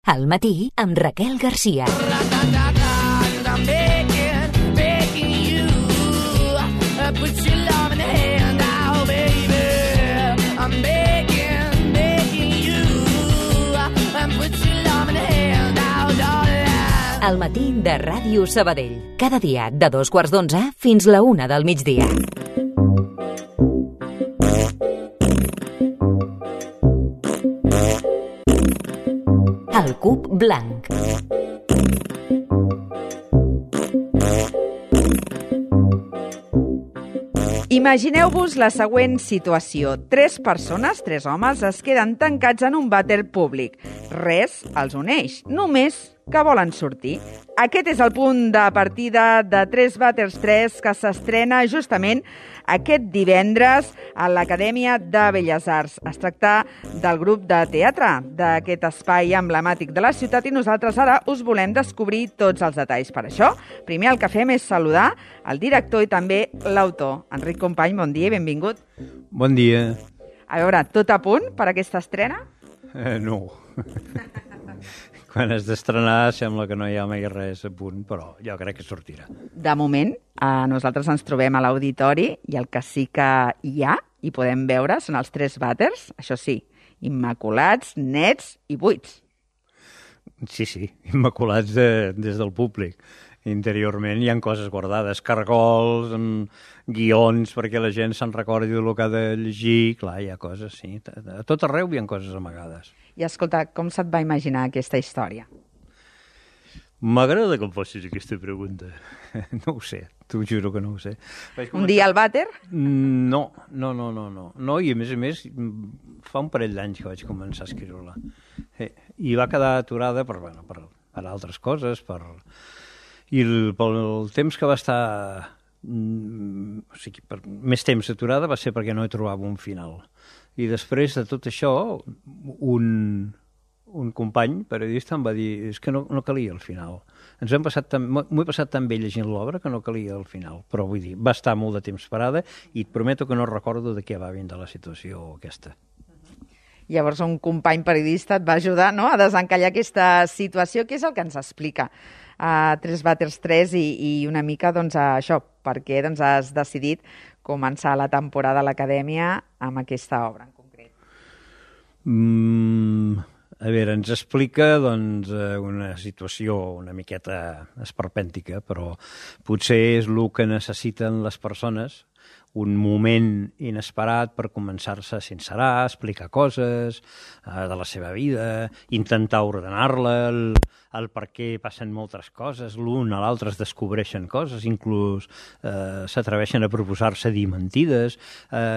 Al matí amb Raquel Garcia. Al matí de Ràdio Sabadell. Cada dia de 2:15 fins la 1 del migdia. El cub blanc. Imagineu-vos la següent situació. 3 persones, 3 homes, es queden tancats en un vàter públic. Res els uneix, només que volen sortir. Aquest és el punt de partida de 3 vàters 3 que s'estrena justament aquest divendres a l'Acadèmia de Belles Arts. Es tracta del grup de teatre d'aquest espai emblemàtic de la ciutat i nosaltres ara us volem descobrir tots els detalls. Per això, primer el que fem és saludar el director i també l'autor. Enric Company, bon dia i benvingut. Bon dia. A veure, tot a punt per aquesta estrena? No. Quan has d'estrenar sembla que no hi ha mai res a punt, però jo crec que sortirà. De moment, nosaltres ens trobem a l'auditori i el que sí que hi ha i podem veure són els 3 vàters, això sí, immaculats, nets i buits. Sí, immaculats des del públic. Interiorment hi ha coses guardades, cargols, guions perquè la gent se'n recordi del que ha de llegir. Clar, hi ha coses, sí. A tot arreu hi ha coses amagades. I escolta, com se't va imaginar aquesta història? M'agrada que em facis aquesta pregunta. No ho sé, t'ho juro que no ho sé. Un dia al vàter? No, i a més, fa un parell d'anys que vaig començar a escriure-la. I va quedar aturada per altres coses, pel temps que va estar... O sigui, per més temps aturada va ser perquè no hi trobava un final. I després de tot això, un company periodista em va dir és que no calia el final. M'ho he passat tan bé llegint l'obra que no calia el final. Però vull dir, va estar molt de temps parada i et prometo que no recordo de què va vindre la situació aquesta. Llavors un company periodista et va ajudar, no?, a desencallar aquesta situació. Què és el que ens explica 3 vàters 3 i una mica això, per què has decidit començar la temporada a l'Acadèmia amb aquesta obra en concret? A veure, ens explica una situació una miqueta esperpèntica, però potser és el que necessiten les persones, un moment inesperat per començar-se a sincerar, explicar coses de la seva vida, intentar ordenar-la, el per què passen moltes coses, l'un a l'altre es descobreixen coses, inclús s'atreveixen a proposar-se dir mentides,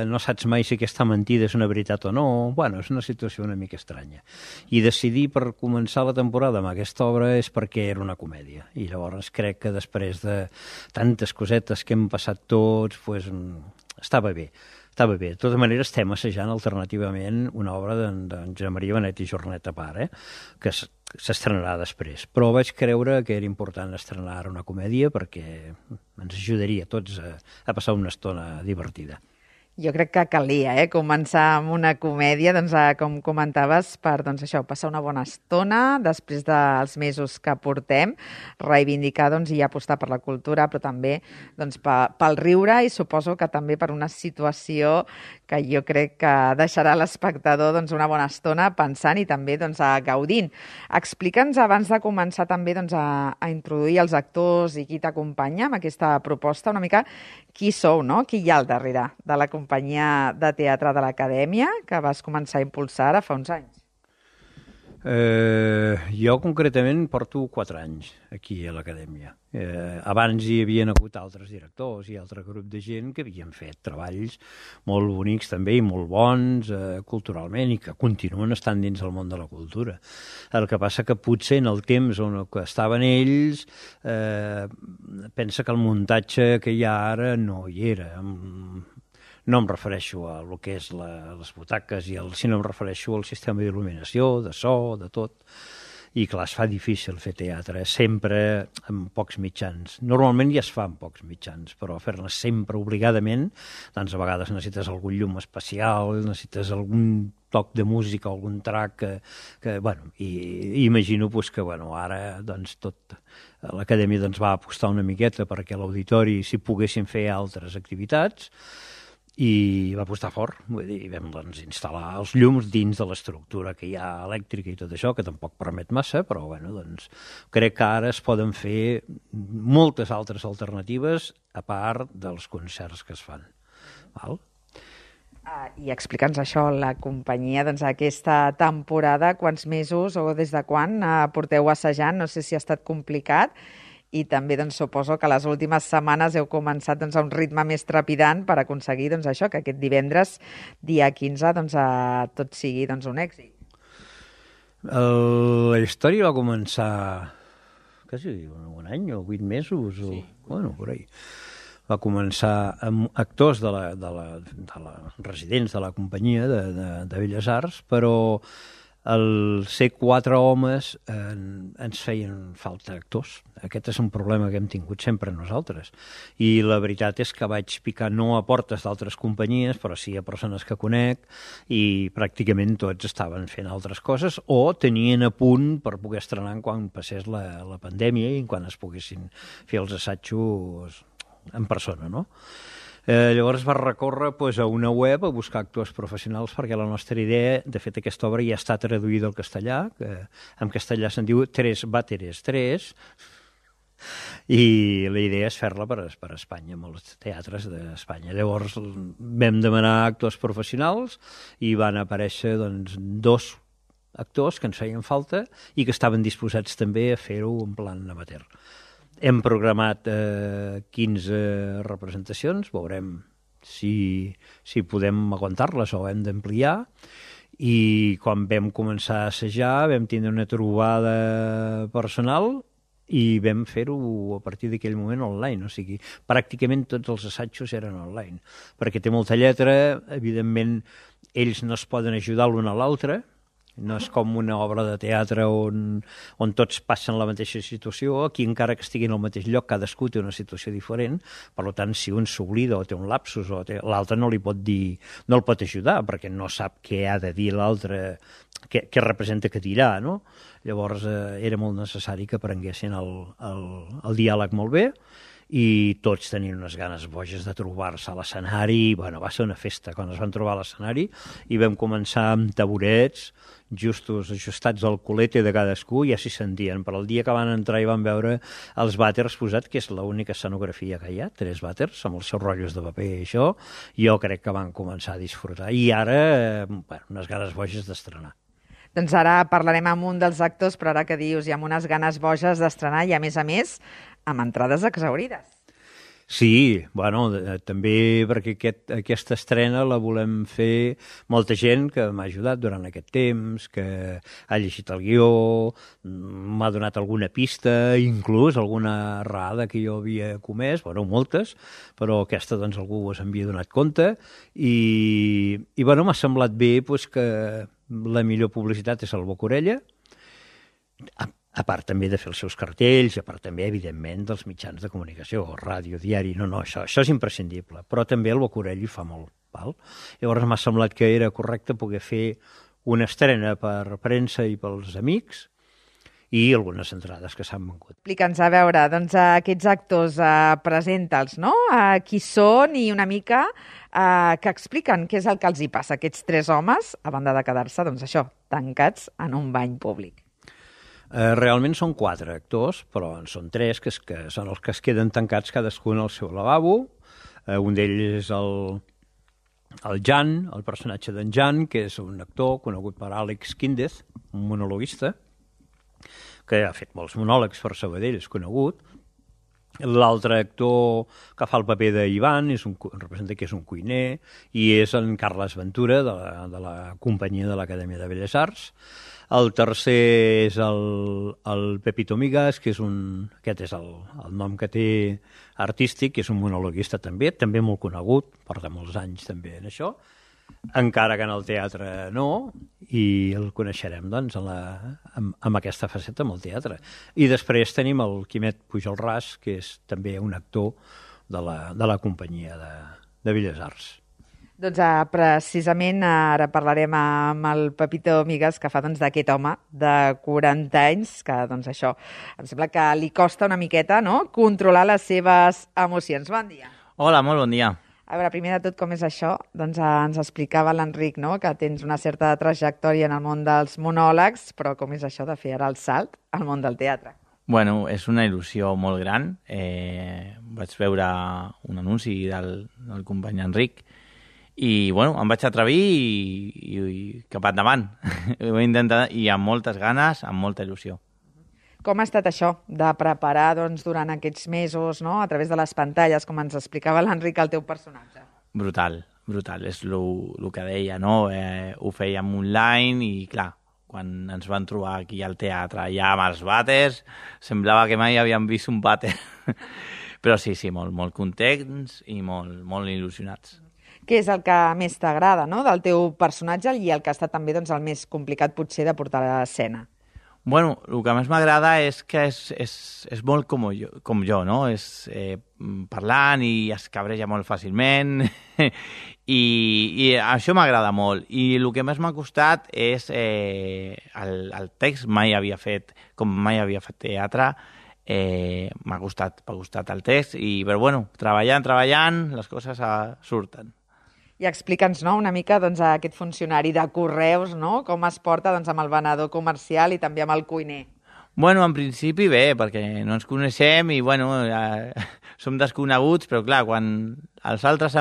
no saps mai si aquesta mentida és una veritat o no. Bueno, és una situació una mica estranya. I decidir per començar la temporada amb aquesta obra és perquè era una comèdia. I llavors crec que després de tantes cosetes que hem passat tots, estava bé. De tota manera, estem assajant alternativament una obra d'en Josep Maria Benet i Jornet a part, que s'estrenarà després. Però vaig creure que era important estrenar una comèdia perquè ens ajudaria a tots a passar una estona divertida. Jo crec que calia començar amb una comèdia, com comentaves, per passar una bona estona després dels mesos que portem, reivindicar i apostar per la cultura, però també pel riure i suposo que també per una situació que jo crec que deixarà l'espectador una bona estona pensant i també gaudint. Explica'ns abans de començar també a introduir els actors i qui t'acompanya amb aquesta proposta, una mica qui sou, no? Qui hi ha al darrere de la companyia de teatre de l'Acadèmia que vas començar a impulsar ara fa uns anys? Jo concretament porto 4 anys aquí a l'Acadèmia. Abans hi havien hagut altres directors i altre grup de gent que havien fet treballs molt bonics també i molt bons culturalment i que continuen estant dins del món de la cultura. El que passa que potser en el temps on estaven ells pensa que el muntatge que hi ha ara no hi era. No em refereixo a el que és les butaques, sinó em refereixo al sistema d'il·luminació, de so, de tot. I clar, es fa difícil fer teatre, sempre amb pocs mitjans. Normalment ja es fa amb pocs mitjans, però fer-ne sempre obligadament, doncs a vegades necessites algun llum especial, necessites algun toc de música, algun track bueno, i imagino pues, que bueno, ara doncs, tot l'acadèmia doncs, va apostar una miqueta perquè l'auditori s'hi poguessin fer altres activitats i va apostar fort, vull dir, vam doncs, instal·lar els llums dins de l'estructura que hi ha elèctrica i tot això, que tampoc permet massa, però bueno, doncs, crec que ara es poden fer moltes altres alternatives a part dels concerts que es fan. Val? I explica'ns això, la companyia, doncs, aquesta temporada, quants mesos o des de quan porteu assajant? No sé si ha estat complicat i també doncs, suposo que les últimes setmanes heu començat doncs, a un ritme més trepidant per aconseguir doncs, això, que aquest divendres, dia 15, doncs, tot sigui doncs, un èxit. La història va començar quasi un any o 8 mesos, sí. Bueno, por ahí. Va començar amb actors de la residents de la companyia de Belles Arts, però al ser 4 homes ens feien falta actors. Aquest és un problema que hem tingut sempre nosaltres. I la veritat és que vaig picar no a portes d'altres companyies, però sí a persones que conec, i pràcticament tots estaven fent altres coses o tenien a punt per poder estrenar quan passés la pandèmia i quan es poguessin fer els assajos en persona, no? Llavors va recórrer a una web a buscar actors professionals perquè la nostra idea, de fet aquesta obra ja està traduïda al castellà, que en castellà se'n diu Tres Vàteres 3, i la idea és fer-la per Espanya, amb els teatres d'Espanya. Llavors vam demanar actors professionals i van aparèixer doncs, 2 actors que ens feien falta i que estaven disposats també a fer-ho en plan amateur. Hem programat 15 representacions, veurem si podem aguantar-les o hem d'ampliar, i quan vam començar a assajar vam tindre una trobada personal i vam fer-ho a partir d'aquell moment online, o sigui, pràcticament tots els assajos eren online, perquè té molta lletra, evidentment ells no es poden ajudar l'un a l'altre, no és com una obra de teatre on tots passen la mateixa situació. Aquí, encara que estiguin al mateix lloc, cadascú té una situació diferent. Per tant, si un s'oblida o té un lapsus, l'altre no li pot dir, no el pot ajudar, perquè no sap què ha de dir l'altre, què representa que dirà, no? Llavors, era molt necessari que aprenguessin el diàleg molt bé, i tots tenien unes ganes boges de trobar-se a l'escenari. Bueno, va ser una festa quan es van trobar a l'escenari i vam començar amb taburets justos ajustats al culete de cadascú, i ja s'hi sentien. Però el dia que van entrar i van veure els vàters posats, que és l'única escenografia que hi ha, 3 vàters amb els seus rotllos de paper i això, jo crec que van començar a disfrutar. I ara, unes ganes boges d'estrenar. Doncs ara parlarem amb un dels actors, però ara que dius, i amb unes ganes boges d'estrenar i, a més, amb entrades exhaurides. Sí, bueno, també perquè aquesta estrena la volem fer molta gent que m'ha ajudat durant aquest temps, que ha llegit el guió, m'ha donat alguna pista, inclús alguna errada que jo havia comès, bueno, moltes, però aquesta doncs algú s'havia donat compte, i bueno, m'ha semblat bé doncs, que la millor publicitat és el boca-orella, a part també de fer els seus cartells, a part també, evidentment, dels mitjans de comunicació, ràdio, diari, això és imprescindible, però també el boca-orella hi fa molt, val? Llavors m'ha semblat que era correcte poder fer una estrena per premsa i pels amics i algunes entrades que s'han vengut. Explica'ns, a veure, doncs aquests actors, presenta'ls, no? Qui són i una mica que expliquen què és el que els hi passa a aquests 3 homes, a banda de quedar-se, doncs això, tancats en un bany públic. Realment són 4 actors, però en són 3, que són els que es queden tancats cadascun al seu lavabo. Un d'ells és el Jan, el personatge d'en Jan, que és un actor conegut per Àlex Quíndez, un monologuista, que ha fet molts monòlegs per Sabadell, és conegut. L'altre actor que fa el paper d'Ivan representa que és un cuiner, i és en Carles Ventura, de la companyia de l'Acadèmia de Belles Arts. El tercer és el Pepito Migas, que aquest és el nom que té artístic, que és un monologuista també molt conegut, porta molts anys també en això. encara que en el teatre no, i el coneixerem doncs, amb aquesta faceta amb el teatre. I després tenim el Quimet Pujol Ras, que és també un actor de la companyia de Belles Arts. Doncs precisament ara parlarem amb el Pepito Migues, que fa d'aquest home de 40 anys, que doncs això, em sembla que li costa una miqueta, no?, controlar les seves emocions. Bon dia. Hola, molt bon dia. A veure, primer de tot, com és això? Doncs ens explicava l'Enric, no?, que tens una certa trajectòria en el món dels monòlegs, però com és això de fer ara el salt al món del teatre? Bueno, és una il·lusió molt gran. Vaig veure un anunci del company Enric i, bueno, em vaig atrevir i cap endavant. Ho he intentat i amb moltes ganes, amb molta il·lusió. Com ha estat això de preparar doncs, durant aquests mesos, no?, a través de les pantalles, com ens explicava l'Enric, el teu personatge? Brutal, brutal. És el que deia, no? Ho fèiem online i, clar, quan ens van trobar aquí al teatre ja amb els vàters, semblava que mai havíem vist un vàter. Però sí, molt contents i molt il·lusionats. Què és el que més t'agrada, no?, del teu personatge i el que ha estat també doncs, el més complicat potser de portar a l'escena? Bueno, el que més m'agrada és que és molt com jo, no? És parlant i es cabreja molt fàcilment i això m'agrada molt. I el que més m'ha costat és el text. Mai havia fet teatre, m'ha costat el text, però bueno, treballant, les coses surten. I explica'ns, no?, una mica doncs, aquest funcionari de correus, no?, com es porta doncs, amb el venedor comercial i també amb el cuiner. Bueno, en principi bé, perquè no ens coneixem i bueno, som desconeguts, però clar, quan els altres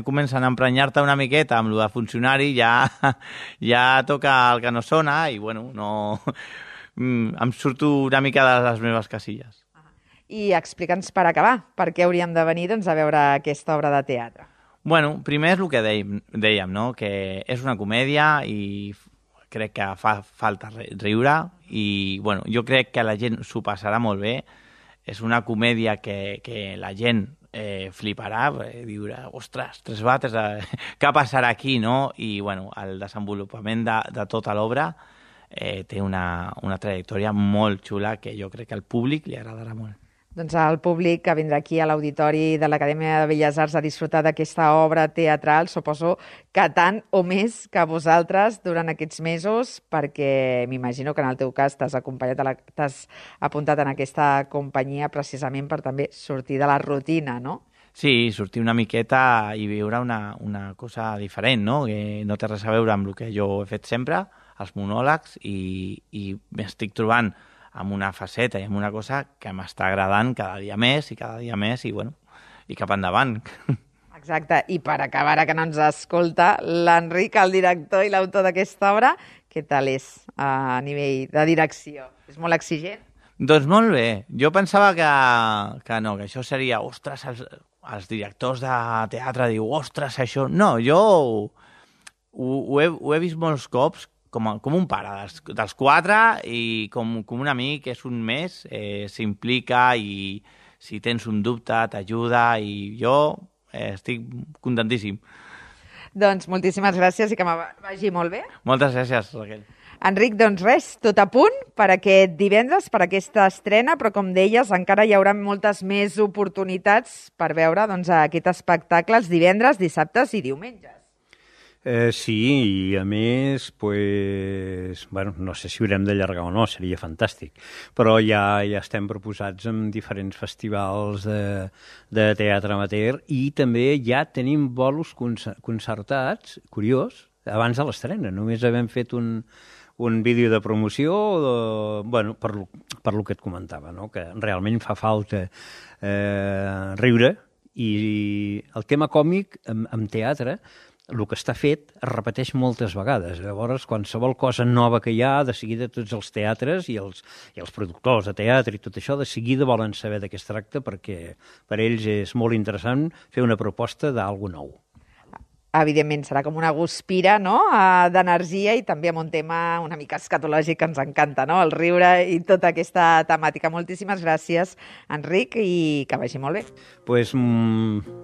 comencen a emprenyar-te una miqueta amb el de funcionari, ja toca el que no sona i bueno, em surto una mica de les meves casilles. I explica'ns per acabar, per què hauríem de venir doncs, a veure aquesta obra de teatre? Bueno, primer és el que dèiem, no?, que és una comèdia i crec que fa falta riure i bueno, jo crec que la gent s'ho passarà molt bé. És una comèdia que la gent fliparà, diurà, ostres, 3 vàters, què passarà aquí, no? I bueno, el desenvolupament de tota l'obra té una trajectòria molt xula que jo crec que al públic li agradarà molt. Doncs el públic que vindrà aquí a l'Auditori de l'Acadèmia de Belles Arts a disfrutar d'aquesta obra teatral, suposo que tant o més que vosaltres durant aquests mesos, perquè m'imagino que en el teu cas t'has apuntat en aquesta companyia precisament per també sortir de la rutina, no? Sí, sortir una miqueta i viure una cosa diferent, no? Que no té res a veure amb el que jo he fet sempre, els monòlegs, i m'estic trobant amb una faceta i amb una cosa que m'està agradant cada dia més i bueno, i cap endavant. Exacte, i per acabar, ara que no ens escolta, l'Enric, el director i l'autor d'aquesta obra, què tal és a nivell de direcció? És molt exigent? Doncs molt bé. Jo pensava que no, que això seria, ostres, els directors de teatre diu, ostres, això... No, jo ho he vist molts cops com un pare dels 4 i com un amic, és un més, s'implica i si tens un dubte t'ajuda i jo estic contentíssim. Doncs moltíssimes gràcies i que vagi molt bé. Moltes gràcies, Raquel. Enric, doncs res, tot a punt per aquest divendres, per aquesta estrena, però com deies, encara hi haurà moltes més oportunitats per veure doncs, aquest espectacle els divendres, dissabtes i diumenges. Sí, i a més, pues, bueno, no sé si haurem d'allargar o no, seria fantàstic, però ja estem proposats en diferents festivals de teatre amateur i també ja tenim bolos concertats, curiós, abans de l'estrena. Només havem fet un vídeo de promoció, bueno, per lo que et comentava, no? Que realment fa falta riure, i el tema còmic en teatre, el que està fet es repeteix moltes vegades. Llavors, qualsevol cosa nova que hi ha, de seguida tots els teatres i els productors de teatre i tot això, de seguida volen saber de què es tracta, perquè per ells és molt interessant fer una proposta d'algú nou. Evidentment, serà com una guspira, no?, d'energia i també amb un tema una mica escatològic que ens encanta, no?, el riure i tota aquesta temàtica. Moltíssimes gràcies, Enric, i que vagi molt bé. Pues,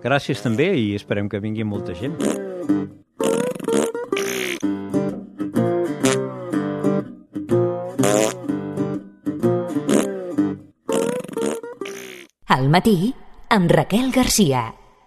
gràcies també i esperem que vingui molta gent. Al matí, amb Raquel Garcia.